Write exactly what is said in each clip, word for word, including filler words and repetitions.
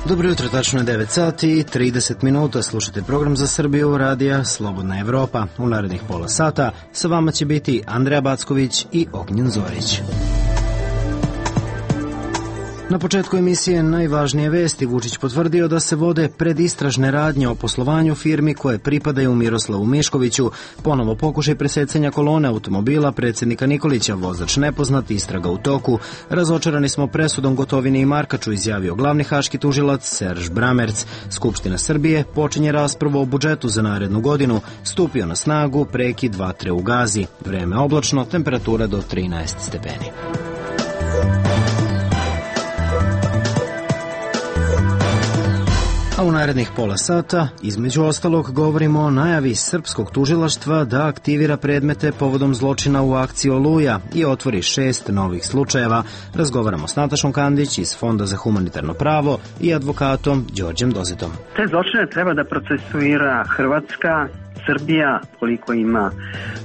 Dobro jutro, tačno je devet sati i trideset minuta. Slušate program za Srbiju radija Slobodna Evropa. U narednih pola sata sa vama će biti Andreja Backović i Ognjen Zorić. Na početku emisije najvažnije vesti. Vučić potvrdio da se vode predistražne radnje o poslovanju firmi koje pripadaju Miroslavu Miškoviću. Ponovo pokušaj presecanja kolone automobila predsjednika Nikolića, vozač nepoznat, istraga u toku. Razočarani smo presudom Gotovini i Markaču, izjavio glavni haški tužilac Serž Bramerc. Skupština Srbije počinje raspravu o budžetu za narednu godinu. Stupio na snagu prekid vatre u Gazi. Vreme oblačno, temperatura do trinaest stepeni. A u narednih pola sata, između ostalog, govorimo o najavi srpskog tužilaštva da aktivira predmete povodom zločina u akciji Oluja i otvori šest novih slučajeva. Razgovaramo s Natašom Kandić iz Fonda za humanitarno pravo i advokatom Đorđem Dozetom. Te zločine treba da procesuira Hrvatska. Srbija, koliko ima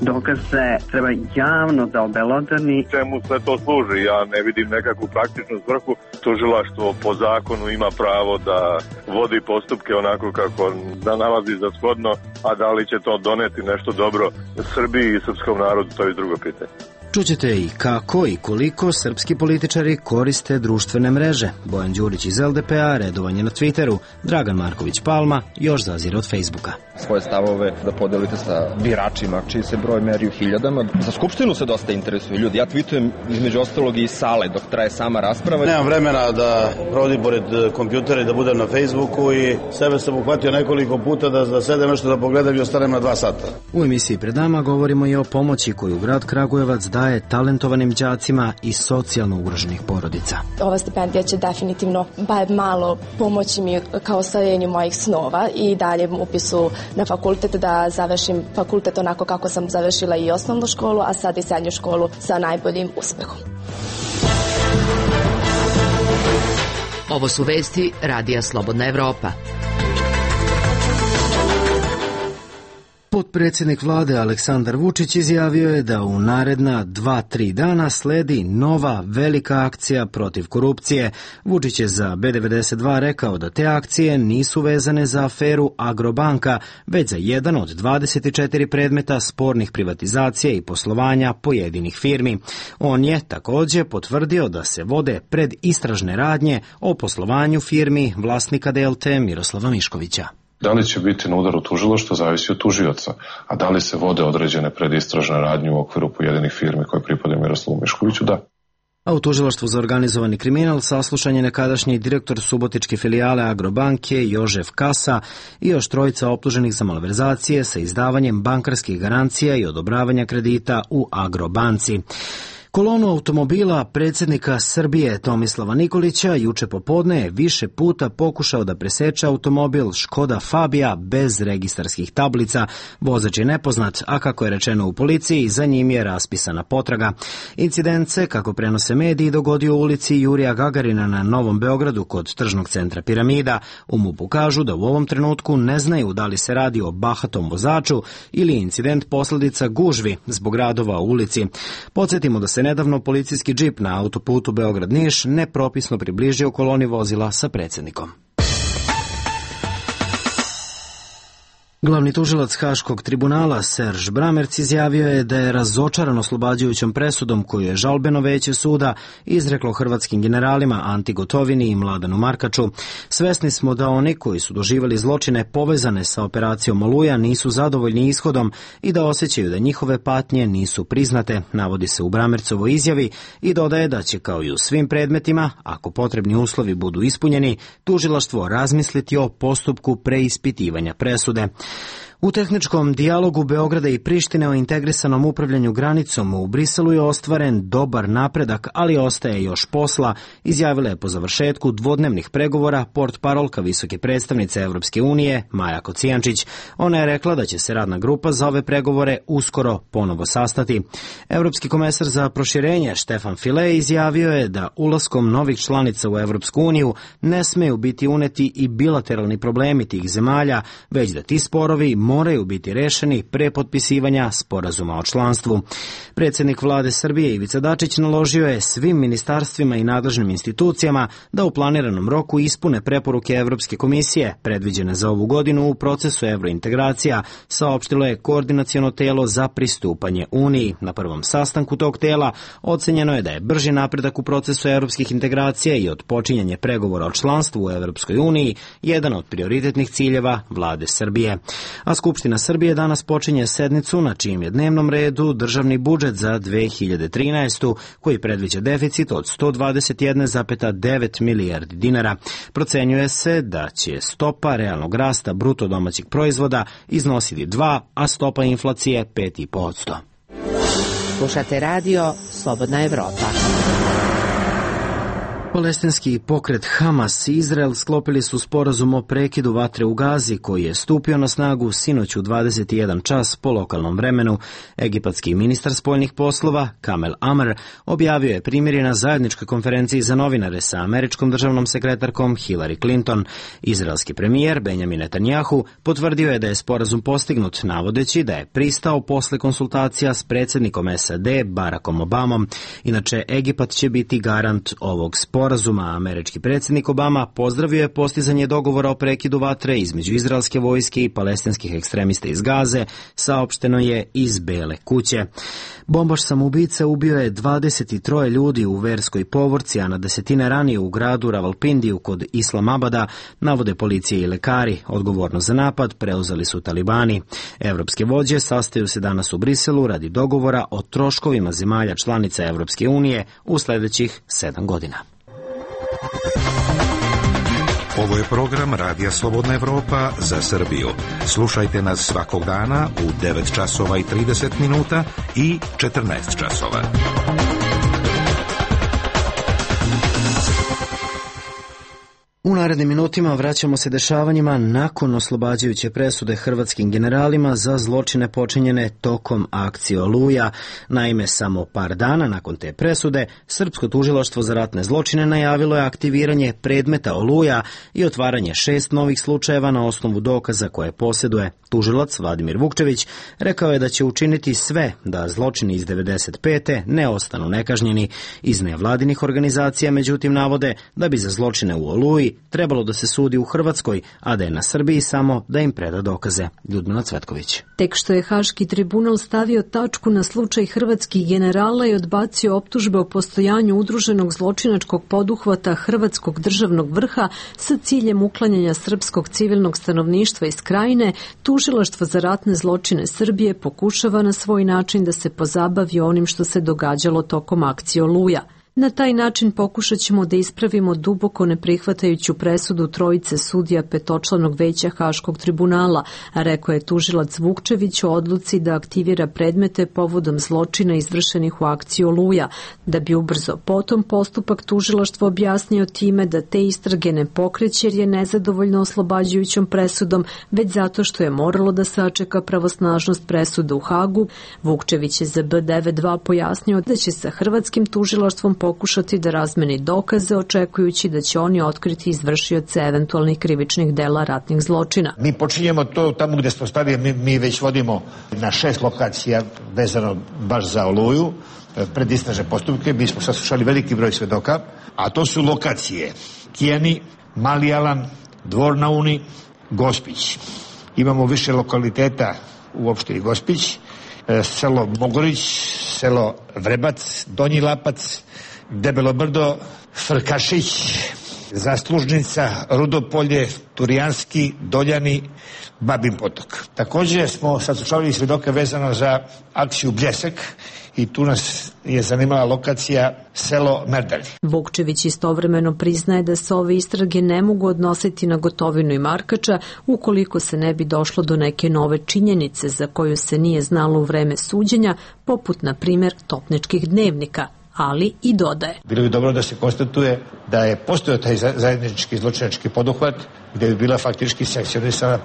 dokaze, treba javno da obelodani. Čemu sve to služi? Ja ne vidim nekakvu praktičnu svrhu. Tužilaštvo po zakonu ima pravo da vodi postupke onako kako da nalazi za shodno, a da li će to doneti nešto dobro Srbiji i srpskom narodu, to je drugo pitanje. Čućete i kako i koliko srpski političari koriste društvene mreže. Bojan Đurić iz el de pe a, redovanje na Twitteru, Dragan Marković Palma još zazire od Facebooka. Svoje stavove da podelite sa biračima, čiji se broj meri u hiljadama. Za Skupštinu se dosta interesuju ljudi. Ja tweetujem između ostalog i iz sale dok traje sama rasprava. Nemam vremena da provodim pored kompjutera i da budem na Facebooku i sebe sam uhvatio nekoliko puta da, da sedem nešto da pogledam i ostanem na dva sata. U emisiji pred nama govorimo i o pomoći koju grad Kragujevac daje talentovanim đacima i socijalno ugroženih porodica. Ova stipendija će definitivno bar malo pomoći mi kao ostvarenju mojih snova i daljem upisu na fakultet, da završim fakultet onako kako sam završila i osnovnu školu, a sad i srednju školu sa najboljim uspehom. Ovo su vesti radija Slobodna Evropa. Potpredsjednik vlade Aleksandar Vučić izjavio je da u naredna dva tri dana sledi nova velika akcija protiv korupcije. Vučić je za be devedeset dva rekao da te akcije nisu vezane za aferu Agrobanka, već za jedan od dvadeset četiri predmeta spornih privatizacija i poslovanja pojedinih firmi. On je također potvrdio da se vode predistražne radnje o poslovanju firmi vlasnika Delte Miroslava Miškovića. Da li će biti na udaru tužilaštva zavisi od tužioca, a da li se vode određene predistražne radnje u okviru pojedinih firmi koje pripadaju Miroslavu Miškoviću, da. A u tužilaštvu za organizovani kriminal saslušan je nekadašnji direktor subotičke filijale Agrobanke Jožef Kasa i još trojica optuženih za malverzacije sa izdavanjem bankarskih garancija i odobravanja kredita u Agrobanci. Kolonu automobila predsjednika Srbije Tomislava Nikolića juče popodne je više puta pokušao da preseče automobil Škoda Fabia bez registarskih tablica. Vozač je nepoznat, a kako je rečeno u policiji, za njim je raspisana potraga. Incident se, kako prenose mediji, dogodio u ulici Jurija Gagarina na Novom Beogradu kod tržnog centra Piramida. U MUP-u kažu da u ovom trenutku ne znaju da li se radi o bahatom vozaču ili incident posljedica gužvi zbog radova u ulici. Podsjetimo da se nedavno policijski džip na autoputu Beograd-Niš nepropisno približio koloni vozila sa predsjednikom. Glavni tužilac Haškog tribunala Serž Bramerc izjavio je da je razočaran oslobađajućom presudom koju je žalbeno veće suda izreklo hrvatskim generalima Anti Gotovini i Mladenu Markaču. Svesni smo da oni koji su doživjeli zločine povezane sa operacijom Oluja nisu zadovoljni ishodom i da osjećaju da njihove patnje nisu priznate, navodi se u Bramercovoj izjavi, i dodaje da će kao i u svim predmetima, ako potrebni uslovi budu ispunjeni, tužilaštvo razmisliti o postupku preispitivanja presude. U tehničkom dijalogu Beograda i Prištine o integrisanom upravljanju granicom u Briselu je ostvaren dobar napredak, ali ostaje još posla, izjavila je po završetku dvodnevnih pregovora portparolka visoke predstavnice Evropske unije Maja Kocijančić. Ona je rekla da će se radna grupa za ove pregovore uskoro ponovo sastati. Evropski komesar za proširenje Štefan File izjavio je da ulaskom novih članica u Evropsku uniju ne smeju biti uneti i bilateralni problemi tih zemalja, već da ti sporovi moraju biti rešeni pre potpisivanja sporazuma o članstvu. Predsjednik vlade Srbije Ivica Dačić naložio je svim ministarstvima i nadležnim institucijama da u planiranom roku ispune preporuke Evropske komisije predviđene za ovu godinu u procesu evrointegracija, saopštilo je Koordinaciono telo za pristupanje Uniji. Na prvom sastanku tog tela ocenjeno je da je brži napredak u procesu evropskih integracija i odpočinjanje pregovora o članstvu u Evropskoj uniji jedan od prioritetnih ciljeva vlade Srbije. A Skupština Srbije danas počinje sednicu na čijem je dnevnom redu državni budžet za dve hiljade trinaestu. koji predviđa deficit od sto dvadeset jedna zarez devet milijardi dinara. Procenjuje se da će stopa realnog rasta bruto domaćeg proizvoda iznositi dva, a stopa inflacije pet zarez pet posto. Slušate radio Slobodna Evropa. Palestinski pokret Hamas i Izrael sklopili su sporazum o prekidu vatre u Gazi koji je stupio na snagu sinoć u dvadeset jedan čas po lokalnom vremenu. Egipatski ministar spoljnih poslova Kamel Amr objavio je primirje na zajedničkoj konferenciji za novinare sa američkom državnom sekretarkom Hillary Clinton. Izraelski premijer Benjamin Netanjahu potvrdio je da je sporazum postignut, navodeći da je pristao posle konsultacija s predsjednikom S A D Barackom Obamom. Inače, Egipat će biti garant ovog sporazuma. Sporazuma. Američki predsjednik Obama pozdravio je postizanje dogovora o prekidu vatre između izraelske vojske i palestinskih ekstremista iz Gaze, saopšteno je iz Bele kuće. Bombaš samoubica ubio je dvadeset tri ljudi u verskoj povorci, a na desetine ranije u gradu Ravalpindiju kod Islamabada, navode policije i lekari. Odgovornost za napad preuzeli su talibani. Evropske vođe sastaju se danas u Briselu radi dogovora o troškovima zemalja članica Evropske unije u sledećih sedam godina. Ovo je program Radija Slobodna Evropa za Srbiju. Slušajte nas svakog dana u devet časova i trideset minuta i četrnaest časova. U narednim minutima vraćamo se dešavanjima nakon oslobađajuće presude hrvatskim generalima za zločine počinjene tokom akcije Oluja. Naime, samo par dana nakon te presude, Srpsko tužilaštvo za ratne zločine najavilo je aktiviranje predmeta Oluja i otvaranje šest novih slučajeva na osnovu dokaza koje posjeduje. Tužilac Vladimir Vukčević rekao je da će učiniti sve da zločini iz devedeset pete ne ostanu nekažnjeni. Iz nevladinih organizacija, međutim, navode da bi za zločine u Oluji trebalo da se sudi u Hrvatskoj, a da je na Srbiji samo da im preda dokaze. Ljudmila Cvetković. Tek što je Haški tribunal stavio tačku na slučaj hrvatskih generala i odbacio optužbe o postojanju udruženog zločinačkog poduhvata hrvatskog državnog vrha sa ciljem uklanjanja srpskog civilnog stanovništva iz Krajine, Tužilaštvo za ratne zločine Srbije pokušava na svoj način da se pozabavi onim što se događalo tokom akcije Oluja. Na taj način pokušat ćemo da ispravimo duboko neprihvatajuću presudu trojice sudija petočlanog veća Haškog tribunala, a rekao je tužilac Vukčević o odluci da aktivira predmete povodom zločina izvršenih u akciji Oluja, da bi ubrzo potom postupak tužilaštvo objasnio time da te istrage ne pokreće jer je nezadovoljno oslobađajućom presudom, već zato što je moralo da sačeka pravosnažnost presude u Hagu. Vukčević je za B devet dva pojasnio da će sa hrvatskim tužilaštvom pokušati da razmeni dokaze, očekujući da će oni otkriti izvršioce eventualnih krivičnih dela ratnih zločina. Mi počinjemo to tamo gde smo stali, mi, mi već vodimo na šest lokacija vezano baš za Oluju, predistražne postupke, mi smo saslušali veliki broj svedoka, a to su lokacije Kijani, Mali Alan, Dvor na Uni, Gospić. Imamo više lokaliteta u opštini Gospić, selo Mogorić, selo Vrebac, Donji Lapac, Debelo Brdo, Frkašić, Zaslužnica, Rudopolje, Turijanski, Doljani, Babin Potok. Također smo saslušavali svedoke vezano za akciju Bljesak i tu nas je zanimala lokacija selo Merdari. Vukčević istovremeno priznaje da se ove istrage ne mogu odnositi na Gotovinu i Markača ukoliko se ne bi došlo do neke nove činjenice za koju se nije znalo u vreme suđenja, poput na primjer topničkih dnevnika. ali i dodaje. Bilo bi dobro da se konstatuje da je postojao taj zajednički zločinački poduhvat gde bi bila faktički sankcionisana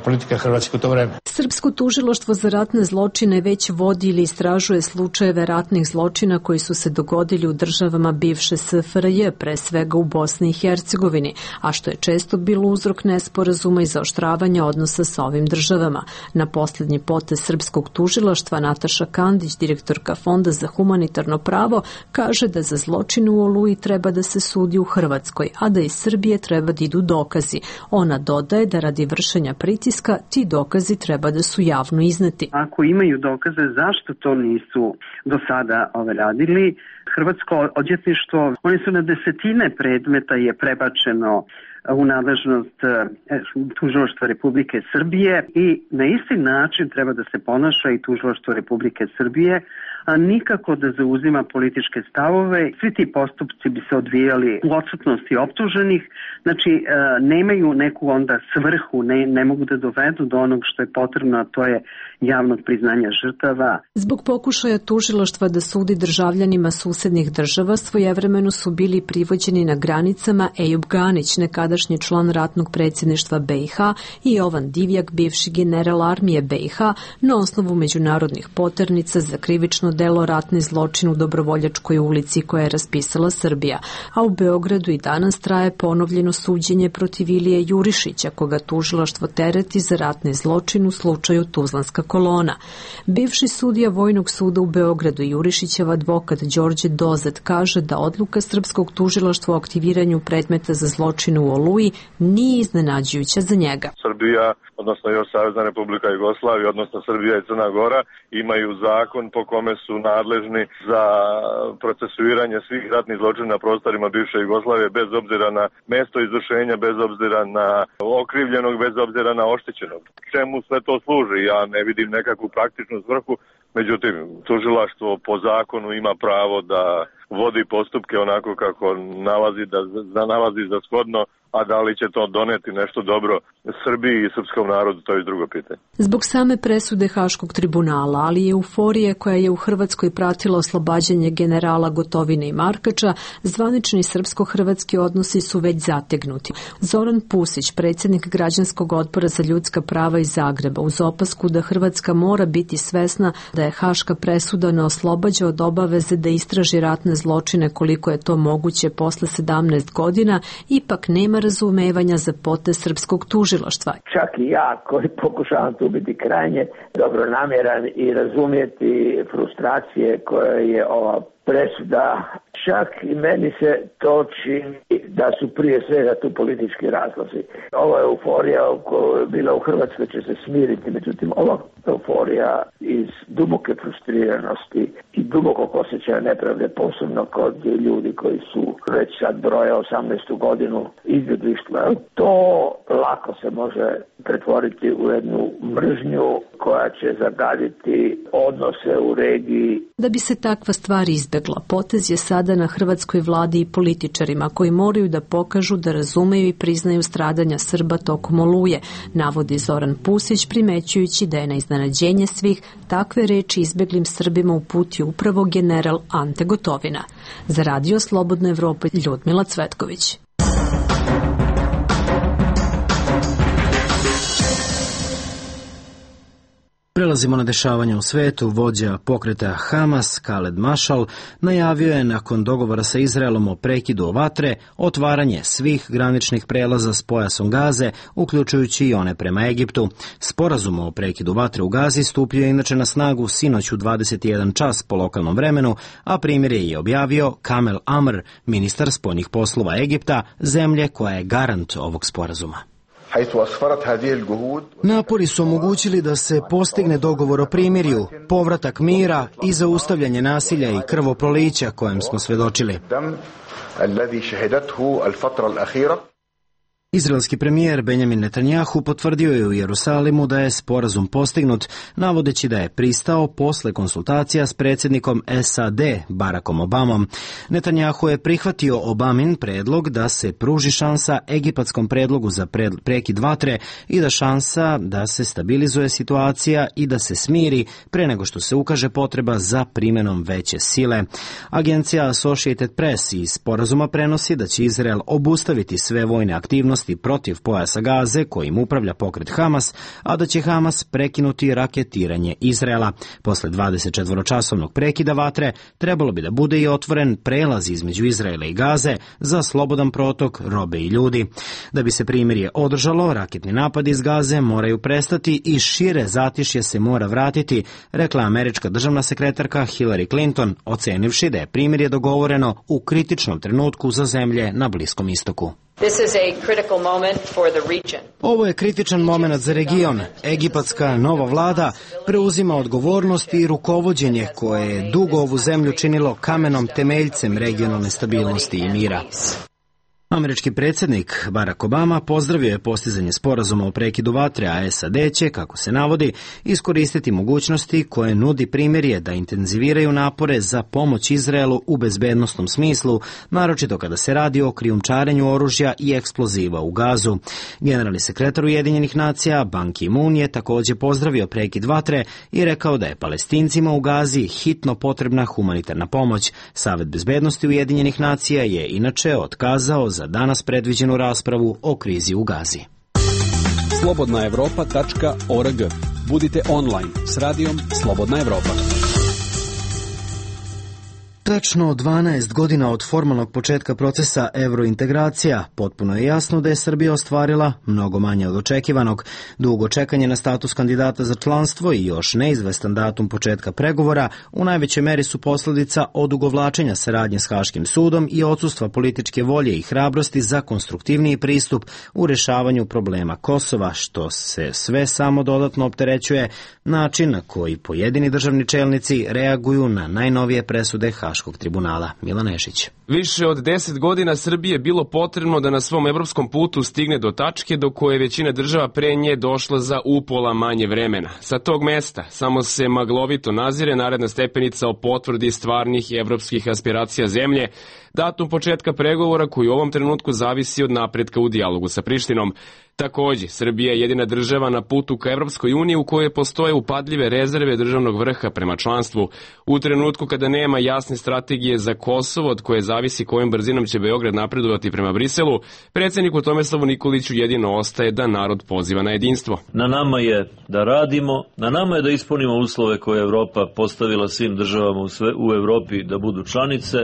politika Hrvatske u to vreme. Srpsko tužilaštvo za ratne zločine već vodi ili istražuje slučajeve ratnih zločina koji su se dogodili u državama bivše S F R J, pre svega u Bosni i Hercegovini, a što je često bilo uzrok nesporazuma i zaoštravanja odnosa sa ovim državama. Na posljednji potez Srpskog tužilaštva Nataša Kandić, direktorka Fonda za humanitarno pravo, kaže da za zločine u Oluji treba da se sudi u Hrvatskoj, a da iz Srbije treba da idu dokazi. Ona dodaje da radi vršenja pritiska ti dokazi treba da su javno izneti. Ako imaju dokaze, zašto to nisu do sada ove radili? Hrvatsko odvjetništvo, oni su na desetine predmeta je prebačeno u nadležnost tužilaštva Republike Srbije i na isti način treba da se ponaša i tužilaštvo Republike Srbije, a nikako da zauzima političke stavove. Svi ti postupci bi se odvijali u odsutnosti optuženih, znači nemaju neku onda svrhu, ne, ne mogu da dovedu do onog što je potrebno, a to je javnog priznanja žrtava. Zbog pokušaja tužilaštva da sudi državljanima susednih država, svojevremeno su bili privođeni na granicama Ejub Ganić, nekadašnji član ratnog predsjedništva B i H, i Jovan Divjak, bivši general armije B i H, na osnovu međunarodnih poternica za krivično delo ratni zločin u Dobrovoljačkoj ulici koja je raspisala Srbija, a u Beogradu i danas traje ponovljeno suđenje protiv Ilije Jurišića, koga tužilaštvo tereti za ratni zločin u slučaju Tuzlanska kolona. Bivši sudija Vojnog suda u Beogradu i Jurišićev advokat Đorđe Dozet kaže da odluka Srpskog tužilaštva o aktiviranju predmeta za zločine u Oluji nije iznenađujuća za njega. Srbija, odnosno još Savezna Republika Jugoslavija, odnosno Srbija i Crna Gora imaju zakon po kome su nadležni za procesuiranje svih ratnih zločina na prostorima bivše Jugoslavije bez obzira na mesto izvršenja, bez obzira na okrivljenog, bez obzira na oštećenog. Čemu sve to služi? Ja ne vidim nekakvu praktičnu svrhu, međutim, tužilaštvo po zakonu ima pravo da vodi postupke onako kako nalazi da, da nalazi za shodno, a da li će to doneti nešto dobro Srbiji i srpskom narodu, to je drugo pitanje. Zbog same presude Haškog tribunala, ali i euforije koja je u Hrvatskoj pratila oslobađanje generala Gotovine i Markača, zvanični srpsko-hrvatski odnosi su već zategnuti. Zoran Pusić, predsjednik Građanskog odbora za ljudska prava iz Zagreba, uz opasku da Hrvatska mora biti svesna da je Haška presuda ne oslobađa od obaveze da istraži ratne zločine koliko je to moguće posle sedamnaest godina, ipak nema razumevanja za potez srpskog tužilaštva. Čak i ja koji pokušavam tu biti krajnje dobronamjeran i razumjeti frustracije koje je ova presuda, čak i meni se to čini da su prije svega tu politički razlozi. Ova euforija koja je bila u Hrvatskoj će se smiriti, međutim ova euforija iz duboke frustriranosti i dubokog osjećaja nepravde, posebno kod ljudi koji su već sad broje osamnaestu godinu izbjeglištva, to lako se može pretvoriti u jednu mržnju koja će zagaditi odnose u regiji. Da bi se takva stvar izbegla, potez je sada na hrvatskoj vladi i političarima koji moraju da pokažu da razumeju i priznaju stradanja Srba tokom Oluje, navodi Zoran Pusić, primećujući da je na iznenađenje svih takve reči izbeglim Srbima uputio upravo general Ante Gotovina. Za Radio Slobodna Evropa, Ljudmila Cvetković. Prelazimo na dešavanja u svetu. Vođa pokreta Hamas, Khaled Mashal, najavio je nakon dogovora sa Izraelom o prekidu vatre otvaranje svih graničnih prelaza s pojasom Gaze, uključujući i one prema Egiptu. Sporazum o prekidu vatre u Gazi stupio je inače na snagu sinoć u dvadeset jedan čas po lokalnom vremenu, a primjerje je objavio Kamel Amr, ministar spoljnih poslova Egipta, zemlje koja je garant ovog sporazuma. Napori su omogućili da se postigne dogovor o primirju, povratak mira i zaustavljanje nasilja i krvoprolića kojem smo svedočili. Izraelski premijer Benjamin Netanjahu potvrdio je u Jerusalimu da je sporazum postignut, navodeći da je pristao posle konsultacija s predsjednikom S A D Barackom Obamom. Netanjahu je prihvatio Obamin predlog da se pruži šansa egipatskom predlogu za prekid vatre i da šansa da se stabilizuje situacija i da se smiri pre nego što se ukaže potreba za primjenom veće sile. Agencija Associated Press iz sporazuma prenosi da će Izrael obustaviti sve vojne aktivnosti protiv pojasa Gaze kojim upravlja pokret Hamas, a da će Hamas prekinuti raketiranje Izraela. Posle dvadesetčetvoročasovnog prekida vatre trebalo bi da bude i otvoren prelaz između Izraela i Gaze za slobodan protok robe i ljudi. Da bi se primirje održalo, raketni napadi iz Gaze moraju prestati i šire zatišje se mora vratiti, rekla američka državna sekretarka Hillary Clinton, ocenivši da je primirje dogovoreno u kritičnom trenutku za zemlje na Bliskom istoku. Ovo je kritičan moment za region. Egipatska nova vlada preuzima odgovornost i rukovođenje koje je dugo ovu zemlju činilo kamenom temeljcem regionalne stabilnosti i mira. Američki predsjednik Barack Obama pozdravio je postizanje sporazuma o prekidu vatre, a S A D će, kako se navodi, iskoristiti mogućnosti koje nudi primirje da intenziviraju napore za pomoć Izraelu u bezbednosnom smislu, naročito kada se radi o krijumčarenju oružja i eksploziva u Gazu. Generalni sekretar Ujedinjenih nacija Ban Ki-moon je također pozdravio prekid vatre i rekao da je Palestincima u Gazi hitno potrebna humanitarna pomoć. Savet bezbednosti Ujedinjenih nacija je inače otkazao za danas predviđenu raspravu o krizi u Gazi. slobodna evropa tačka org. Budite online s radijom Slobodna Evropa. Tačno dvanaest godina od formalnog početka procesa evrointegracija, potpuno je jasno da je Srbija ostvarila mnogo manje od očekivanog. Dugo čekanje na status kandidata za članstvo i još neizvestan datum početka pregovora u najvećoj meri su posljedica odugovlačenja saradnje s Haškim sudom i odsustva političke volje i hrabrosti za konstruktivniji pristup u rešavanju problema Kosova, što se sve samo dodatno opterećuje način na koji pojedini državni čelnici reaguju na najnovije presude Haškog tribunala. Milan Nešić. Više od deset godina Srbije je bilo potrebno da na svom evropskom putu stigne do tačke do koje većina država pre nje došla za upola manje vremena. Sa tog mesta samo se maglovito nazire naredna stepenica o potvrdi stvarnih evropskih aspiracija zemlje, datum početka pregovora koji u ovom trenutku zavisi od napretka u dijalogu sa Prištinom. Takođe, Srbija je jedina država na putu ka Evropskoj uniji u kojoj postoje upadljive rezerve državnog vrha prema članstvu. U trenutku kada nema jasne strategije za Kosovo, od koje zavisi kojom brzinom će Beograd napredovati prema Briselu, predsjedniku Tomislavu Nikoliću jedino ostaje da narod poziva na jedinstvo. Na nama je da radimo, na nama je da ispunimo uslove koje je Evropa postavila svim državama u, sve, u Evropi da budu članice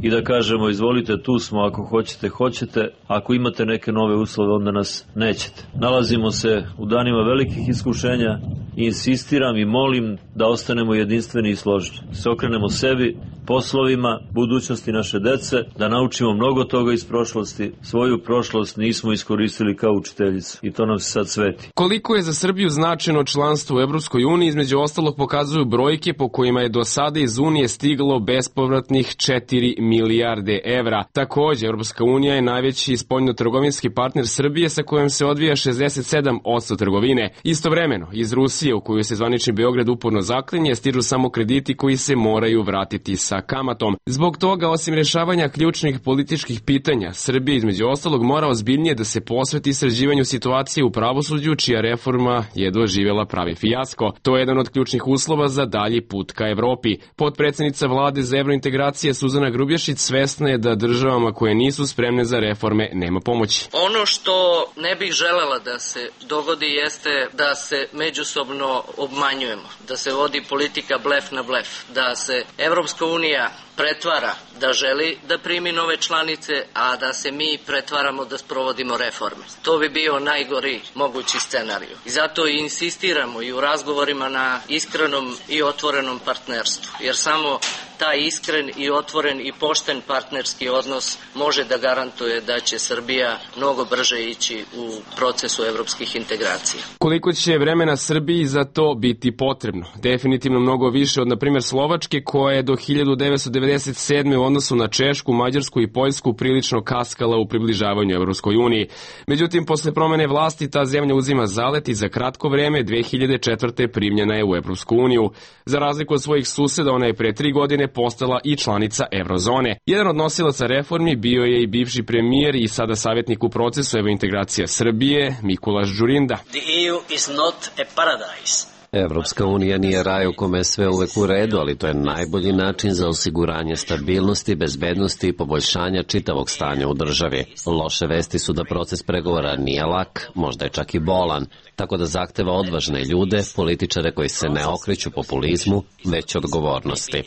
i da kažemo izvolite, tu smo, ako hoćete, hoćete, ako imate neke nove uslove, onda nas neće. Nalazimo se u danima velikih iskušenja i insistiram i molim da ostanemo jedinstveni i složni. Se okrenemo sebi, poslovima, budućnosti naše dece, da naučimo mnogo toga iz prošlosti. Svoju prošlost nismo iskoristili kao učiteljicu i to nam se sad sveti. Koliko je za Srbiju značajno članstvo u Evropskoj uniji, između ostalog pokazuju brojke po kojima je do sada iz Unije stiglo bespovratnih četiri milijarde evra. Takođe, Evropska unija je najveći spoljnotrgovinski partner Srbije sa kojom se odvija šezdeset sedam posto trgovine. Istovremeno, iz Rusije, u koju se zvanični Beograd uporno zaklinje, stižu samo krediti koji se moraju vratiti sa kamatom. Zbog toga, osim rešavanja ključnih političkih pitanja, Srbija između ostalog mora ozbiljnije da se posveti sređivanju situacije u pravosuđu, čija reforma je doživjela pravi fijasko. To je jedan od ključnih uslova za dalji put ka Evropi. Potpredsednica vlade za evrointegracije Suzana Grubješić svesna je da državama koje nisu spremne za reforme nema pomoći. Ono što ne bih želela da se dogodi jeste da se međusobno obmanjujemo, da se vodi politika blef na blef, da se Evropska unija pretvara da želi da primi nove članice, a da se mi pretvaramo da sprovodimo reforme. To bi bio najgori mogući scenarij. I zato i insistiramo i u razgovorima na iskrenom i otvorenom partnerstvu, jer samo taj iskren i otvoren i pošten partnerski odnos može da garantuje da će Srbija mnogo brže ići u procesu evropskih integracija. Koliko će vremena Srbiji za to biti potrebno? Definitivno mnogo više od, na primjer, Slovačke, koja je do hiljadu devetsto devedeset sedme u odnosu na Češku, Mađarsku i Poljsku prilično kaskala u približavanju Evropskoj uniji. Međutim, posle promene vlasti ta zemlja uzima zalet i za kratko vreme dve hiljade četvrte primljena je u Evropsku uniju. Za razliku od svojih suseda, ona je pre tri godine postala i članica Evrozone. Jedan od nosilaca reformi bio je i bivši premijer i sada savjetnik u procesu evrointegracija Srbije, Mikulaš Đurinda. The E U is not a paradise. Evropska unija nije raj u kome je sve uvek u redu, ali to je najbolji način za osiguranje stabilnosti, bezbednosti i poboljšanja čitavog stanja u državi. Loše vesti su da proces pregovora nije lak, možda je čak i bolan, tako da zahteva odvažne ljude, političare koji se ne okreću populizmu, već odgovornosti.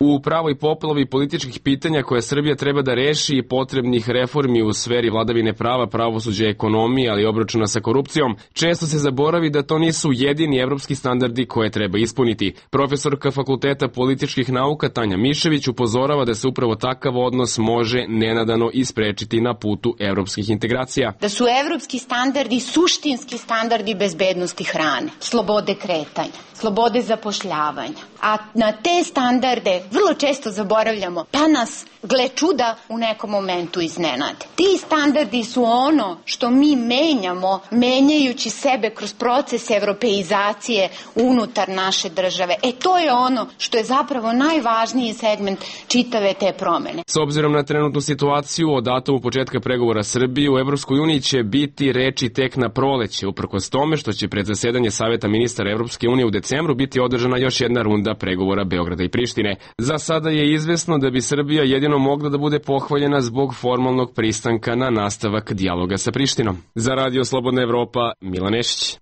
U pravoj poplovi političkih pitanja koje Srbija treba da reši i potrebnih reformi u sferi vladavine prava, pravosuđa, ekonomije, ali i obračuna sa korupcijom, često se zaboravi da to nisu jedini evropski standardi koje treba ispuniti. Profesorka Fakulteta političkih nauka Tanja Mišević upozorava da se upravo takav odnos može nenadano isprečiti na putu evropskih integracija. Da su evropski standardi suštinski standardi bezbednosti hrane, slobode kretanja, slobode zapošljavanja. A na te standarde vrlo često zaboravljamo, pa nas, gle čuda, u nekom momentu iznenade. Ti standardi su ono što mi menjamo, menjajući sebe kroz proces evropeizacije unutar naše države. E to je ono što je zapravo najvažniji segment čitave te promene. S obzirom na trenutnu situaciju, od datumu početka pregovora Srbije u Evropskoj uniji će biti reči tek na proleće, uprkos tome što će pred zasedanje Saveta ministara Evropske unije u decembru biti održana još jedna runda pregovora Beograda i Prištine. Za sada je izvesno da bi Srbija jedino mogla da bude pohvaljena zbog formalnog pristanka na nastavak dijaloga sa Prištinom. Za Radio Slobodna Evropa, Milan Nešić.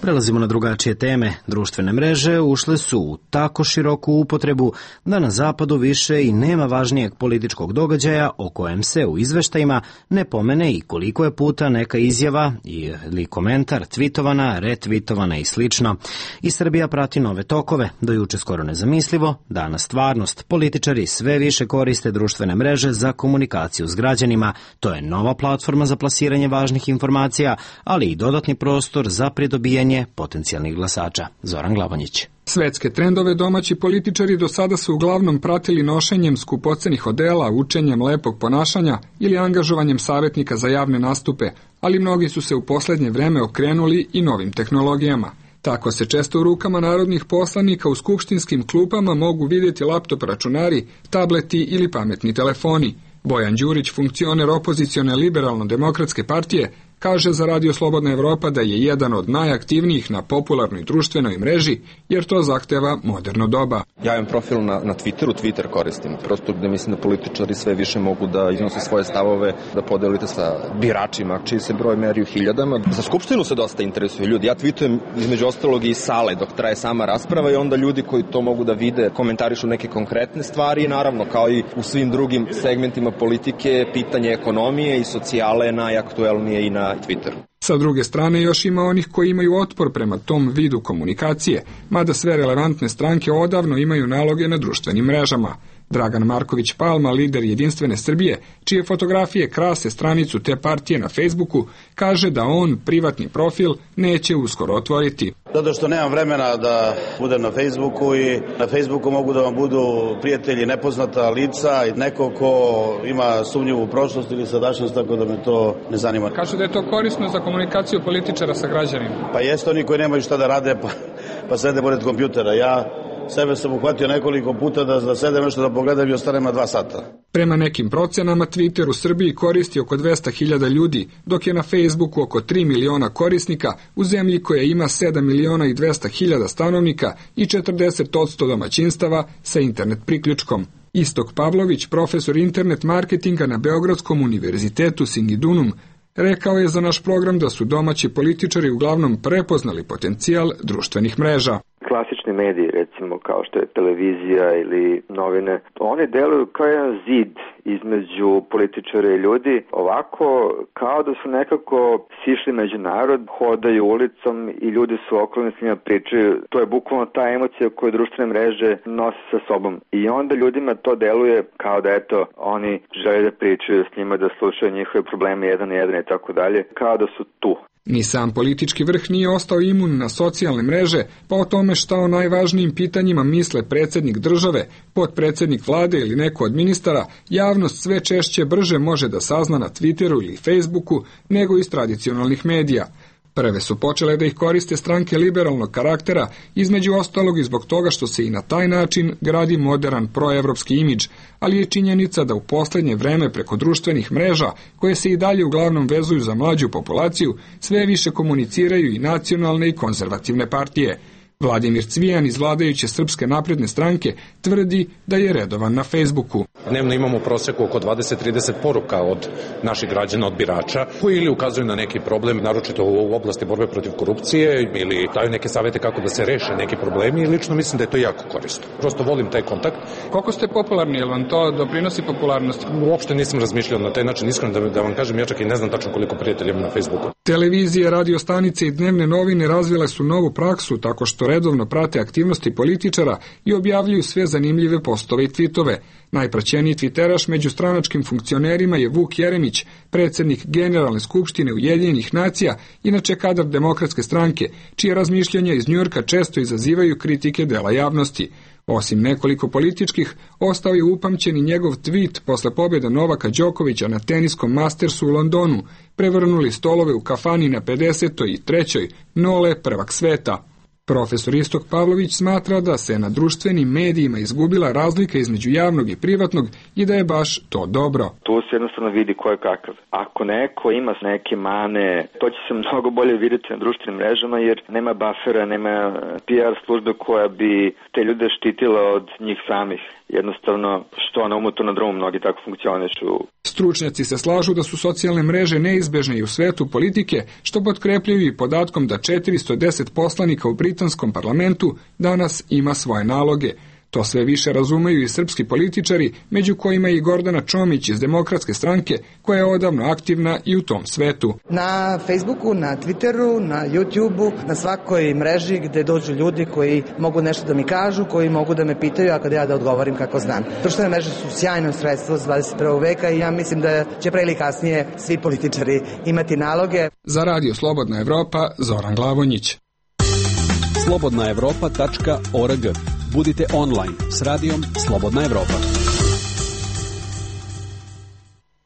Prelazimo na drugačije teme. Društvene mreže ušle su u tako široku upotrebu da na zapadu više i nema važnijeg političkog događaja o kojem se u izveštajima ne pomene i koliko je puta neka izjava ili komentar tvitovana, retvitovana i slično. I Srbija prati nove tokove, do juče skoro nezamislivo, danas stvarnost. Političari sve više koriste društvene mreže za komunikaciju s građanima. To je nova platforma za plasiranje važnih informacija, ali i dodatni prostor za pridobijanje potencijalnih glasača. Zoran Glavonjić. Svetske trendove domaći političari do sada su uglavnom pratili nošenjem skupocenih odela, učenjem lepog ponašanja ili angažovanjem savjetnika za javne nastupe, ali mnogi su se u poslednje vreme okrenuli i novim tehnologijama. Tako se često u rukama narodnih poslanika u skupštinskim klupama mogu vidjeti laptop računari, tableti ili pametni telefoni. Bojan Đurić, funkcioner opozicione liberalno-demokratske partije, kaže za Radio Slobodna Evropa da je jedan od najaktivnijih na popularnoj društvenoj mreži, jer to zahteva moderno doba. Ja imam profil na, na Twitteru, Twitter koristim, prosto gde mislim da političari sve više mogu da iznose svoje stavove, da podelite sa biračima, čiji se broj meri u hiljadama. Za Skupštinu se dosta interesuju ljudi. Ja tweetujem između ostalog i iz sale dok traje sama rasprava i onda ljudi koji to mogu da vide komentarišu neke konkretne stvari i naravno kao i u svim drugim segmentima politike, pitanje ekonomije i socijale najaktuelnije i na Twitteru. Sa druge strane još ima onih koji imaju otpor prema tom vidu komunikacije, mada sve relevantne stranke odavno imaju naloge na društvenim mrežama. Dragan Marković Palma, lider Jedinstvene Srbije, čije fotografije krase stranicu te partije na Facebooku, kaže da on privatni profil neće uskoro otvoriti. Zato što nemam vremena da budem na Facebooku i na Facebooku mogu da vam budu prijatelji nepoznata lica i neko ko ima sumnjivu prošlost ili sadašnjost, tako da me to ne zanima. Kaže da je to korisno za komunikaciju političara sa građanima. Pa jeste, oni koji nemaju šta da rade pa, pa sede pored kompjutera. Ja sebe sam uhvatio nekoliko puta da, da sedem nešto da pogledam i ostanem na dva sata. Prema nekim procenama, Twitter u Srbiji koristi oko dvesta hiljada ljudi, dok je na Facebooku oko tri miliona korisnika u zemlji koja ima sedam miliona i dvesta hiljada stanovnika i četrdeset posto domaćinstava sa internet priključkom. Istok Pavlović, profesor internet marketinga na Beogradskom univerzitetu Singidunum, rekao je za naš program da su domaći političari uglavnom prepoznali potencijal društvenih mreža. klasični mediji, recimo kao što je televizija ili novine, oni deluju kao jedan zid između političara i ljudi, ovako kao da su nekako sišli među narod, hodaju ulicom i ljudi su okolni s njima pričaju. To je bukvalno ta emocija koju društvene mreže nose sa sobom. I onda ljudima to deluje kao da eto, oni žele da pričaju s njima, da slušaju njihove probleme jedan na jedan i tako dalje, kao da su tu. Ni sam politički vrh nije ostao imun na socijalne mreže, pa o tome šta o najvažnijim pitanjima misle predsjednik države, potpredsjednik vlade ili neko od ministara, javnost sve češće brže može da sazna na Twitteru ili Facebooku nego iz tradicionalnih medija. Prve su počele da ih koriste stranke liberalnog karaktera, između ostalog i zbog toga što se i na taj način gradi modern proevropski imidž, ali je činjenica da u posljednje vreme preko društvenih mreža, koje se i dalje uglavnom vezuju za mlađu populaciju, sve više komuniciraju i nacionalne i konzervativne partije. Vladimir Cvijan iz vladajuće Srpske napredne stranke tvrdi da je redovan na Facebooku. Dnevno imamo u proseku oko dvadeset do trideset poruka od naših građana, od birača, koji ili ukazuju na neki problem, naročito u oblasti borbe protiv korupcije, ili daju neke savete kako da se reše neki problemi, i lično mislim da je to jako korisno. Prosto volim taj kontakt. Koliko ste popularni, jel vam to doprinosi popularnosti? Uopšte nisam razmišljao na taj način, iskreno da, da vam kažem, ja čak i ne znam tačno koliko prijatelja imam na Facebooku. Televizije, radio stanice i dnevne novine razvile su novu praksu tako što redovno prate aktivnosti političara i objavljuju sve zanimljive postove i tvitove. Najpraćeniji tviteraš među stranačkim funkcionerima je Vuk Jeremić, predsjednik Generalne skupštine Ujedinjenih nacija, inače kadar Demokratske stranke, čije razmišljanja iz Njujorka često izazivaju kritike dela javnosti. Osim nekoliko političkih, ostao je upamćen i njegov tweet posle pobjede Novaka Đokovića na teniskom Mastersu u Londonu, prevrnuli stolove u kafani na pedesetoj i trećoj Nole, prvak sveta. Profesor Istok Pavlović smatra da se na društvenim medijima izgubila razlika između javnog i privatnog i da je baš to dobro. Tu se jednostavno vidi ko je kakav. Ako neko ima neke mane, to će se mnogo bolje vidjeti na društvenim mrežama jer nema bafera, nema P R službe koja bi te ljude štitila od njih samih. Jednostavno, što na umu, to na drumu, mnogi tako funkcionišu. Stručnjaci se slažu da su socijalne mreže neizbežne i u svetu politike, što potkrepljuju i podatkom da četiristo deset poslanika u britanskom parlamentu danas ima svoje naloge. To sve više razumeju i srpski političari, među kojima i Gordana Čomić iz Demokratske stranke, koja je odavno aktivna i u tom svetu. Na Facebooku, na Twitteru, na YouTubeu, na svakoj mreži gde dođu ljudi koji mogu nešto da mi kažu, koji mogu da me pitaju, a kada ja da odgovorim kako znam. Društvene mreže su sjajno sredstvo za dvadeset prvog veka i ja mislim da će pre ili kasnije svi političari imati naloge. Za Radio Slobodna Evropa, Zoran Glavonjić. slobodna evropa tačka org. Budite online s radijom Slobodna Evropa.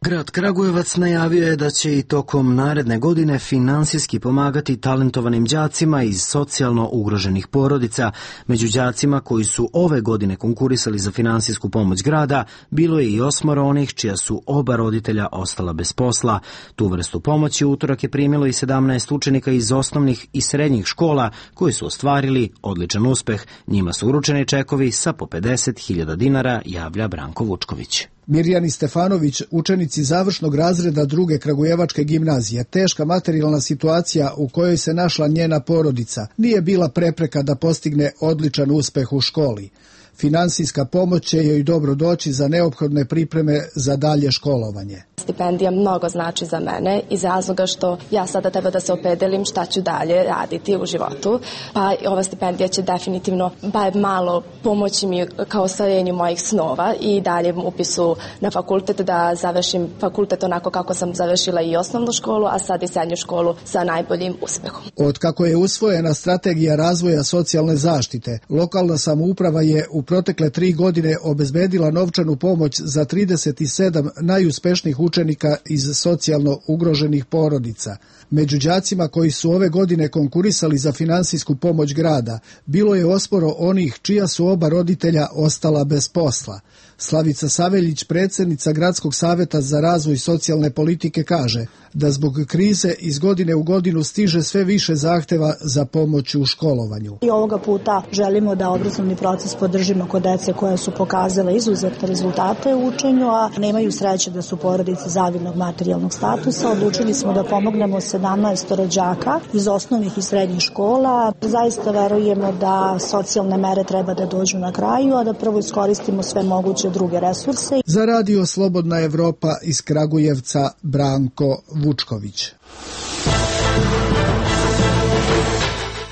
Grad Kragujevac najavio je da će i tokom naredne godine finansijski pomagati talentovanim đacima iz socijalno ugroženih porodica. Među đacima koji su ove godine konkurisali za finansijsku pomoć grada, bilo je i osmoro onih čija su oba roditelja ostala bez posla. Tu vrstu pomoći utorak je primilo i sedamnaest učenika iz osnovnih i srednjih škola koji su ostvarili odličan uspeh. Njima su uručeni čekovi sa po pedeset hiljada dinara, javlja Branko Vučković. Mirjani Stefanović, učenici završnog razreda druge Kragujevačke gimnazije, teška materijalna situacija u kojoj se našla njena porodica nije bila prepreka da postigne odličan uspeh u školi. Finansijska pomoć će joj dobro doći za neophodne pripreme za dalje školovanje. Stipendija mnogo znači za mene iz razloga što ja sada treba da se opredelim šta ću dalje raditi u životu, pa ova stipendija će definitivno bar malo pomoći mi kao ostvarenju mojih snova i dalje upisu na fakultet, da završim fakultet onako kako sam završila i osnovnu školu, a sad i srednju školu sa najboljim uspehom. Od kako je usvojena strategija razvoja socijalne zaštite, lokalna samouprava je u protekle tri godine obezbedila novčanu pomoć za trideset sedam najuspešnijih učenika iz socijalno ugroženih porodica. Među đacima koji su ove godine konkurisali za finansijsku pomoć grada, bilo je osporo onih čija su oba roditelja ostala bez posla. Slavica Saveljić, predsjednica Gradskog saveta za razvoj socijalne politike, kaže da zbog krize iz godine u godinu stiže sve više zahteva za pomoć u školovanju. I ovoga puta želimo da obrazovni proces podržimo slučajevima kod dece koje su pokazale izuzetne rezultate u učenju, a nemaju sreće da su porodice zavidnog materijalnog statusa. Odlučili smo da pomognemo sedamnaest rođaka iz osnovnih i srednjih škola. Zaista verujemo da socijalne mere treba da dođu na kraju, a da prvo iskoristimo sve moguće druge resurse. Za Radio Slobodna Evropa iz Kragujevca Branko Vučković.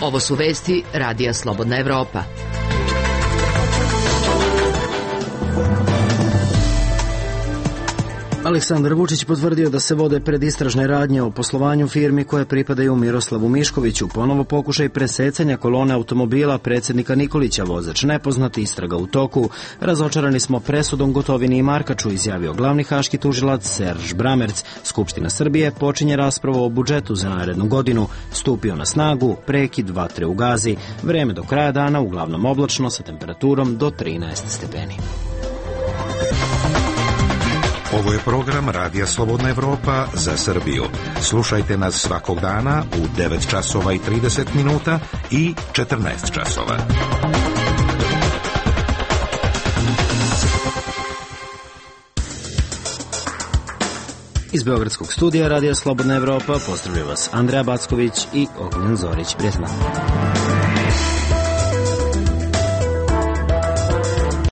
Ovo su vesti Radija Slobodna Evropa. Aleksandar Vučić potvrdio da se vode predistražne radnje o poslovanju firmi koje pripadaju Miroslavu Miškoviću. Ponovo pokušaj presecanja kolone automobila predsjednika Nikolića, vozač nepoznat, istraga u toku. Razočarani smo presudom Gotovini i Markaču, izjavio glavni haški tužilac Serž Bramerc. Skupština Srbije počinje raspravu o budžetu za narednu godinu. Stupio na snagu prekid vatre u Gazi. Vreme do kraja dana uglavnom oblačno sa temperaturom do trinaest stepeni. Ovo je program Radija Slobodna Evropa za Srbiju. Slušajte nas svakog dana u devet časova i trideset minuta i četrnaest časova. Iz Beogradskog studija Radija Slobodna Evropa pozdravlja vas Andreja Backović i Ognjen Zorić. Prijatno.